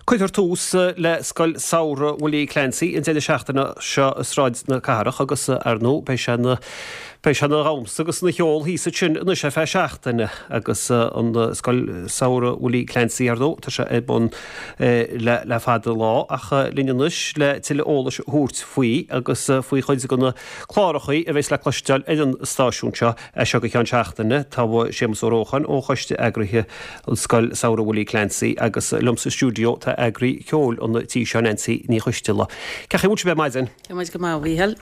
Cuirfear tús le Scoil Samhraidh Willie Clancy an deireadh seachtaine seo i Sráid na Cathrach agus, ar ndóigh, beidh sé ina beidh sé ina dhamhsa agus ina cheol thíos ansin anois ar feadh seachtaine agus an Scoil Samhraidh Willie Clancy, ar ndóigh, tá sé ar bun le le fada an lá ach linn anois le tuilleadh eolais a thabhairt faoi agus faoi chuid de na clárachaí a bheas le cloisteáil ar an stáisiún seo As seo go ceann seachtaine, tá Séamus Ó Rócháin ó choiste eagraithe Scoil Samhraidh Willie Clancy agus liom sa stiúideo tá eagraí ceoil an tí seo, Nancy Ní Choisteala. Cén chaoi a bhfuil sibh ar maidin? Tá muid go maith, a Mhíchíl.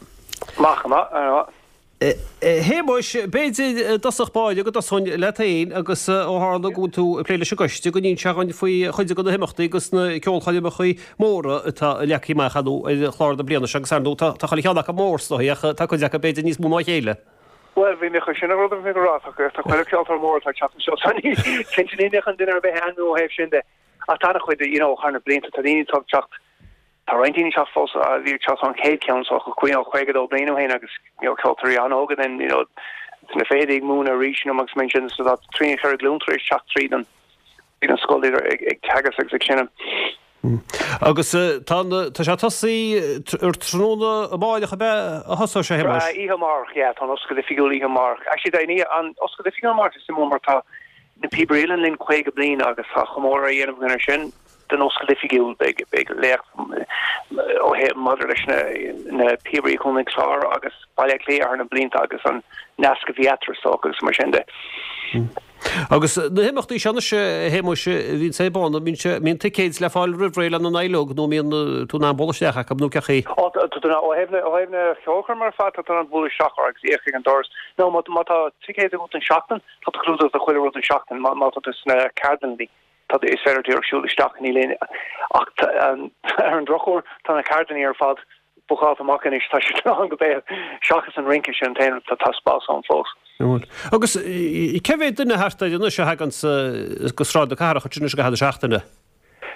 Maith go maith, ar maith. A Shéamuis, b'fhéidir i dtosach báire go dtosóinn leat féin agus ó tharla go bhfuil tú ag plé leis an gcoiste, go n-inseofá dhúinn faoi chuid de na himeachtaí agus na ceolchoirmeacha móra atá leagtha amach ar chlár na bliana seo agus ar ndóigh tá chuile cheann acu mór is dóigh ach tá cuid acu b'fhéidir níos mó ná a chéile. Bhuel, bhí mé chun sin an rud a bhí mé ag rá, tá chuile ceoltóir mór atá ag teacht anseo, so ní, cinnte ní mbeadh an duine ar bith a ainmniú ó thaobh sin de. Ach tá an-chuid, you know, thar na blianta, tá daoine atá ag teacht, tá roinnt daoine ag teacht fós, a bhí ag teacht ón chéad cheann, so you know, 52 bliain ó shin agus, you know, ceoltóirí an-óga then, you know, sna fichidí ag múineadh arís, you know, agus mar sin, so tá trí nó cheithre glún tar éis teacht tríd an, tríd an scoil idir ag, ag teagasc agus ag seinm. Agus tá tá sé tosaithe ar tráthnóna amáireach ab ea a thosóidh sé, a Shéamuis? Oíche amárach, yeah, tá an oscailt oifigiúil oíche amárach. Actually, tá an an oscailt oifigiúil amárach is suimiúil mar tá na Píobairí Uilleann linn 50 bliain agus tá comóradh á dhéanamh againn ar sin don oscailt oifigiúil. Beidh beidh léacht ó thaobh maidir leis na na Píobairí Chontae an Chláir agus Baile Átha Cliath thar na blianta agus an nasc a bhí eatarthu is dócha agus mar sin de. Agus na himeachtaí seo anois, a Shéamuis, a bhíonn ar bun, an mbíonn ticéid le fáil roimh ré lena n-éileog nó an mbíonn tú in ann bualadh isteach acu nó cén chaoi? Ó, tá tú in ann, ó thaobh na, ó thaobh na ceolchoirme ar fad, tá tú in ann bualadh isteach orthu agus íoc ag an doras. Nó má, má tá ticéid agat don seachtain, tá tú clúdaithe do chuile rud don seachtain, má, má tá tú sna ceardlanna, tá, is féidir díreach siúl isteach, níl aon, ach ar an drochuair, tá na ceardlanna ar fad bookáilte amach anois, tá siad lán go béal, seachas an rince, sin an t-aon rud, tá spás ann fós. Bhuel, agus cé mhéad duine thart air anois a thaganns go Sráid na Cathrach ansin anois i gcaitheamh na seachtaine?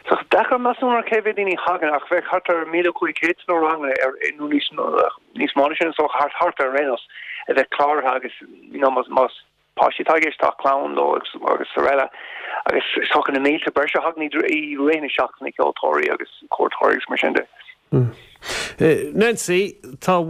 Tá deacair measúnú ar cé mhéad daoine a thagann ach bheadh thart ar 1,500 sna ranganna ar, nó níos, níos mó ná sin is dócha, thart, thart ar aon nós, a bheith cláraithe agus, you know, más, más páistí atá i gceist, tá clann leo agus, agus araile. Agus is dócha na mílte breise a thagann i rith na seachtaine, ceoltóirí agus cuairteoirí agus mar sin de. Nancy, tá,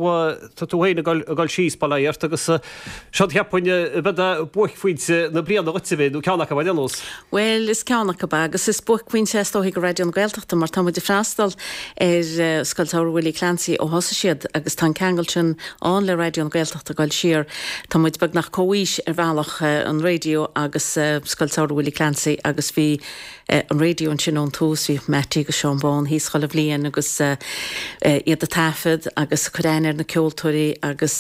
tá tú féin ag dul síos, bail ó Dhia ort, agus seo cheapfainn ab é buaicphointe na bliana dhuit a bheith, nó ceann acu ar aon nós. Bhuel, is ceann acu é, agus is buaicphointe é is dóichí do Raidió na Gaeltachta mar tá muid ag freastal ar Scoil Samhraidh Willie Clancy ó thosaigh siad agus tá an ceangal sin ann le Raidió na Gaeltachta ag dul siar. Tá muid beagnach comhaois ar bhealach, an raidió agus Scoil Samhraidh Willie Clancy agus bhí an raidió ansin ón tús, bhíodh Mattie agus Seán Bán thíos chuile bhliain agus iad ag taifead agus ag cur aithne ar na ceoltóirí agus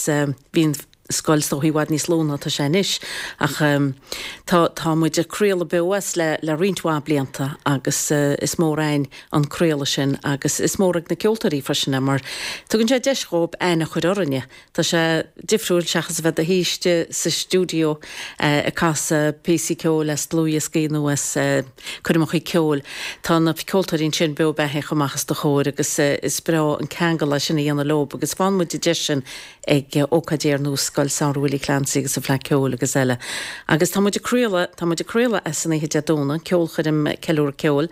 bhí an scoil is dóichí i bhfad níos lú ná tá sé anois ach tá tá muid ag craoladh beo as le le roinnt mhaith blianta agus is mór againn an craoladh sin agus is mór ag na ceoltóirí freisin é mar tugann sé deis dhóibh aithne a chur orainne. Tá sé difriúil seachas a bheith i do shuí istigh sa stiúideo ag casadh píosaí ceoil as dlúthdhioscaí nó as coirmeachaí ceoil. Tá na ceoltóirí ansin beo beathaíoch amach os do chomhair agus is breá an ceangal é sin a dhéanamh leob agus faigheann muid an deis sin ag ócáidí ar nós Scoil Samhraidh Willie Clancy agus an Fleadh Ceoil agus eile. Agus tá muid ag craoladh, tá muid ag craoladh as san oíche Dé Domhnaigh, ceolchoirm Ceiliúradh Ceoil.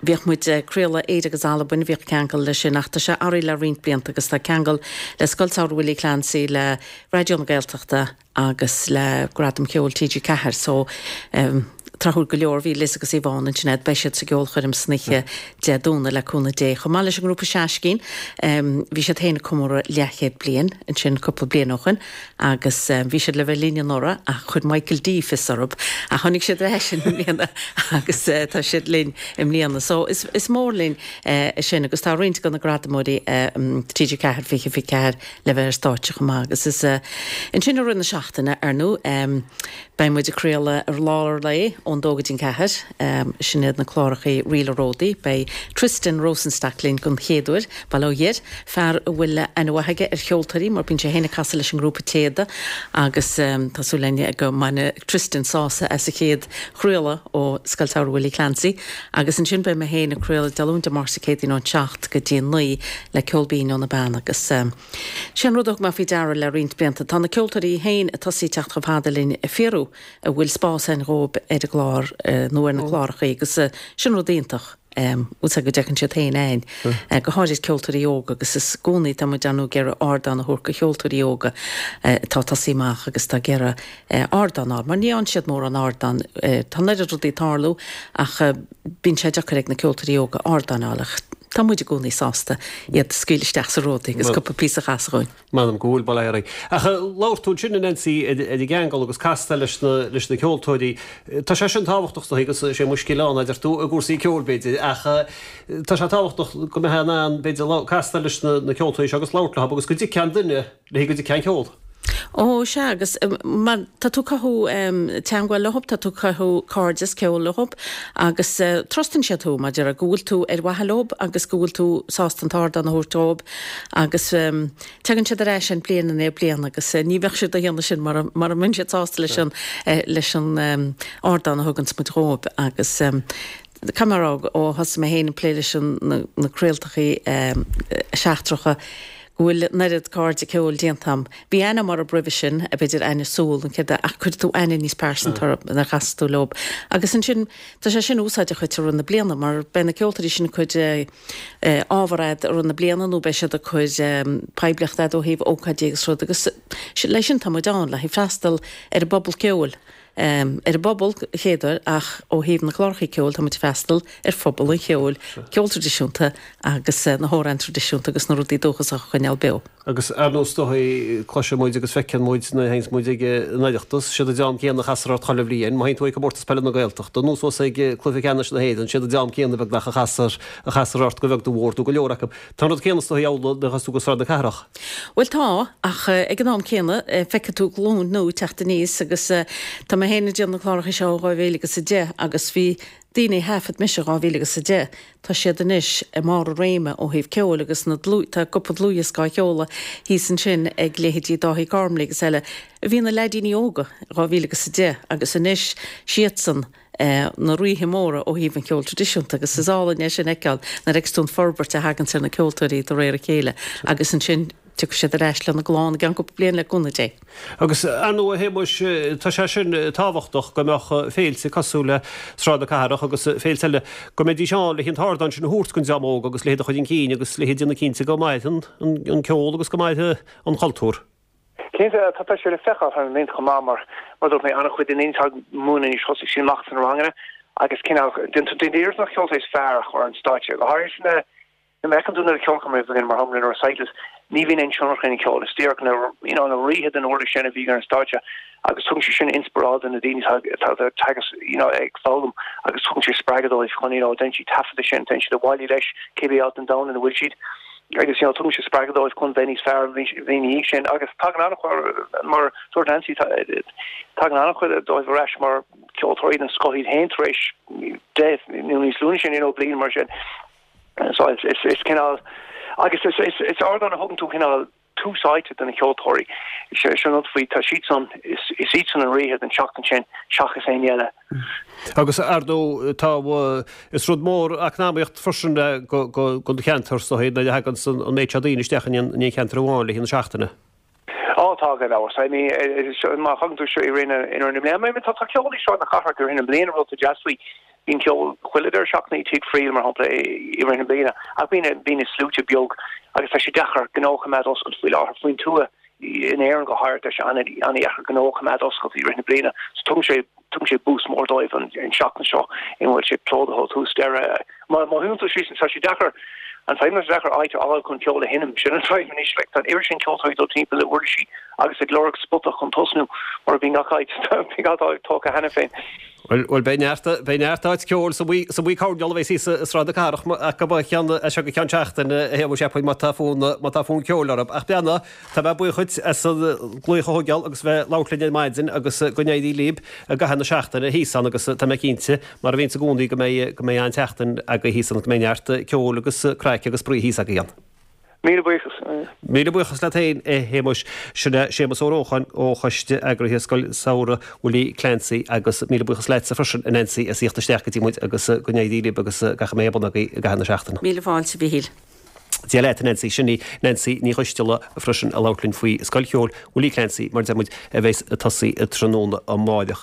Bhíodh muid ag craoladh Éire agus Albain, bhíodh ceangal leis sin ach tá sé athraithe le roinnt blianta agus tá ceangal le Scoil Samhraidh Willie Clancy, le Raidió na Gaeltachta agus le Gradam Ceoil TG4 so tráthúil go leor bhí Liz agus Yvonne ansin a'd, beidh siad sa gceolchoirm san oíche Dé Domhnaigh le cúnamh Dé. Chomh maith leis an ngrúpa Seaiscín, bhí siad féin ag comóradh leathchéad bliain ansin cúpla bliain ó shoin agus bhí siad le bheith linn anuraidh ach chuir Michael D fios orthu ach tháinig siad ar ais i mbliana agus tá siad linn i mbliana. So is is mór linn é sin agus tá roinnt de na gradamóirí TG4 2024 le bheith ar stáitse chomh maith agus is ansin i rith na seachtaine ar ndóigh beidh muid ag craoladh ar lár an lae ón dó go dtí an ceathair. Sin iad na clárachaí Ríl an Ródaí. Beidh Tristan Rosenstock linn don chéad uair, bail ó Dhia air, fear a bhfuil aithne mhaith aige ar cheoltóirí mar bíonn sé féin ag casadh leis an ngrúpa Téada agus tá súil againn go mbainfidh Tristan sásamh as an chéad chraoladh ó Scoil Samhraidh Willie Clancy agus ansin beidh mé féin ag craoladh Dé Luain Dé Máirt Dé Céadaoin ón 7 go dtí 9 le Ceol Binn ó na Beanna agus sé an rud a thug mé faoi deara le roinnt blianta, tá na ceoltóirí féin ag tosaí teacht chomh fada linn ag fiafraí an bhfuil spás ann dhóibh ar an gclár nó ar na clárachaí agus sin rud iontach. Bhfuil go dteagann siad féin a'ainn, go háirid ceoltóirí óga agus is i gcónaí tá muid ar ndóigh ag iarraidh ardán a thabhairt do cheoltóirí óga atá ag tosaí amach agus atá ag iarraidh ardán a fháil mar ní fhaigheann siad mórán ardán. Tá an oiread rudaí ag tarlú ach bíonn sé deacair ag na ceoltóirí óga ardán a fháil ach tá muid i gcónaí sásta iad a scaoileadh isteach sa Ródaí agus cúpla píosa a chasadh dhúinn. M'anam go bhfuil, bail ó Dhia oraibh. Ach labhair tú ansin, a Nancy, ar an gceangal agus castáil leis na, leis na ceoltóirí. Tá sé sin tábhachtach is dóigh agus is é mo scil ann, a deir tú, i gcúrsaí ceoil, b'fhéidir, ach tá sé tábhachtach go mbeifeá in ann, b'fhéidir, castáil leis na, na ceoltóirí seo agus labhairt leo agus go dtuigfeadh an duine le go dtuigfeá an ceol. Ó, sea, agus mar tá tú ag cothú teangmháil leo, tá tú ag cothú cairdeas ceoil leo agus trustann siad thú, mar a déarfá, go bhfuil tú ar mhaithe leo agus go bhfuil tú sásta an t-ardán a thabhairt dóibh agus tagann siad ar ais ann bliain i ndiaidh bliana agus ní bheadh siad á dhéanamh sin mura mura mbeinn siad sásta leis an leis an ardán a thuganns muid dhóibh agus caithfidh mé a rá ó thosaigh mé féin ag plé leis an na craoltachaí seachtracha go bhfuil an oiread cairde ceoil déanta a'm. Bhí aithne a'm orthu roimhe sin, b'fhéidir aithne súl, an chéad ach cuireann tú aithne níos pearsanta orthu nuair a chasas tú leo. Agus ansin, tá sé sin úsáideach dhuit i rith na bliana mar beidh na ceoltóirí sin ag cur ábhar a'd i rith na bliana nó beidh siad ag cur poiblíocht a'd ó thaobh ócáidí agus rud agus leis sin tá muid ann, le haghaidh freastal ar an bpobal ceoil. Ar an bpobal, chéaduair, ach ó thaobh na clárachaí ceoil, tá muid ag freastal ar phobal an cheoil, ceol traidisiúnta agus na hamhráin traidisiúnta agus na rudaí dúchasacha a choinneáil beo. Agus ar ndóigh is dóigh, cloiseann muid agus feiceann muid nuair a théanns muid ag an Oireachtas, siad an dream céanna a chastar ort chuile bhliain. Má théann tú ag Comórtas Peile na Gaeltachta, nó suas ag Cluiche Ceannais na hÉireann, siad an dream céanna beagnach a chastar, a chastar ort go bheag nó go mhór, nó go leor acu. Tá an rud céanna is dóigh amhlaidh nuair a théas tú go Sráid na Cathrach. Bhuel tá, ach ag an am céanna feicfidh tú glúin nua ag teacht aníos agus tá mé féin ag déanamh na cláracha seo ó 2010 agus bhí daoine a thaifead mise 2010, tá siad anois i mbarr a réime ó thaobh ceoil agus na dlúth, tá cúpla dlúthdhiosca á sheoladh thíos ansin ag leithéidí Dáithí Gormley agus eile a bhí ina leaidíní óga 2010 agus anois siadsan na ríthe móra ó thaobh an cheoil traidisiúnta agus is álainn é sin a fheiceáil nuair a fheiceas tú an forbairt a thaganns ar na ceoltóirí de réir a chéile agus ansin tiocfaidh siad ar ais lena gclann i gceann cúpla bliain le cúnamh Dé. Agus ar ndóigh a Shéamuis, tá sé sin tábhachtach go mbeadh féilte cosúil le Sráid na Cathrach agus féilte eile, go mbeidís ann le an t-ardán sin a thabhairt don dream óg agus le hiad a chur chun cinn agus le hiad a dhéanamh cinnte go mairfidh an ceol agus go mairfidh an cultúr. Cinnte, tá sé le feiceáil thar na blianta chomh maith mar, mar a dúirt mé, an-chuid de na daoine atá ag múineadh anois thosaigh siad amach sna ranganna agus cineál, déanann iarracht na ceoltóirí is fearr a chur ar an stáitse, go háirithe sna, nuair a fheiceann tú na ceolchoirmeacha a bhíonn mar shampla na recitals, ní bhíonn aon tionchar ar an cheol, is díreach na, you know, na ríthe den uirlis sin a bhí ar an stáitse agus tugann sé sin inspioráid do na daoine atá, atá ag teagasc, you know, ag foghlaim agus tugann sé spreagadh dóibh chun, you know, déanann siad taifead de sin, téann siad abhaile leis cibé áit den domhan ina bhfuil siad. agus you know tugann sé spreagadh dóibh chun bheith níos fearr an bhliain ina dhiaidh sin agus tagann an-chuid mar dúirt Nancy tagann an-chuid dóibh ar ais mar ceoltóirí den scoth iad féin tar éis 10 nó níos lú ná sin you know bliain mar sin. So is is is cineál agus is is is ardán a thugann tú cineál tús áite do na ceoltóirí. Sin an rud faoi tá siadsan is is iadsan an ríthe den tseachtain sin seachas éinne eile. Agus ar ndóigh tá, is rud mór eacnamaíocht freisin don cheantar is dóigh nuair a thagann an méid seo daoine isteach in aon cheantar amháin le haghaidh na seachtaine. Á tá gan amhras. I mean má thagann tú i rith na bliana, I mean tá ceol i Sráid na Cathrach i rith na bliana rud atá deas faoi. Bíonn ceol chuile deireadh seachtaine i Tigh Friel mar shampla i rith na bliana ach bíonn na sluaite beag agus tá sé deacair gnó a choimeád oscailte faoi láthair faoin tuath in Éirinn go háirithe tá sé an-dheacair gnó a choimeád oscailte i rith na bliana so tugann sé Tugann sé boost mór dóibh an tseachtain seo ina bhfuil sé plódaithe ó thús deireadh. Má shuíonn tú síos, tá sé deacair, an fadhb ná deacair áit a fháil chun ceol a sheinm, sin an fadhb anois. Like, tá an oiread sin ceoltóirí ag dul timpeall le uirlisí agus ag lorg spota chun tosnú mar bíonn gach áit, bíonn gach áit tógtha cheana féin. Bhuel, beidh neart, beidh neart áit ceoil sa Mhaigh, sa Mhaigh Coirneál a bheas thíos i Sráid na Cathrach acu a cheann, as seo go ceann seachtaine, a Shéamuis, cheapfainn, má tá fonn, má tá fonn ceoil orthu. Ach breathnaigh, Tá mé buíoch dhuit as an glaoch a thógáil agus bheith ag labhairt linn ar maidin agus go n-éirí libh i gcaitheamh na seachtaine thíos ann agus tá mé cinnte, mar a bhíonns i gcónaí, go mbeidh go mbeidh an-tseachtain agaibh thíos ann go mbeidh neart ceoil agus craic agus spraoi thíos agaibh ann. Míle buíochas. Míle buíochas leat féin, a Shéamuis. Sin é Séamus Ó Rócháin ó Choiste Eagraithe Scoil Samhraidh Willie Clancy agus míle buíochas leatsa freisin, a Nancy, as theacht isteach go dtí muid agus go n-éirí libh agus gach a mbeidh ar bun agaibh i gcaitheamh na seachtaine. Míle fáilte, a Mhíchíl. Dia leat, a Nancy. Sin í Nancy Ní Choisteala freisin ag labhairt linn faoi Scoil Cheoil Willie Clancy, mar a deir muid, a bheas ag tosaí tráthnóna amáireach.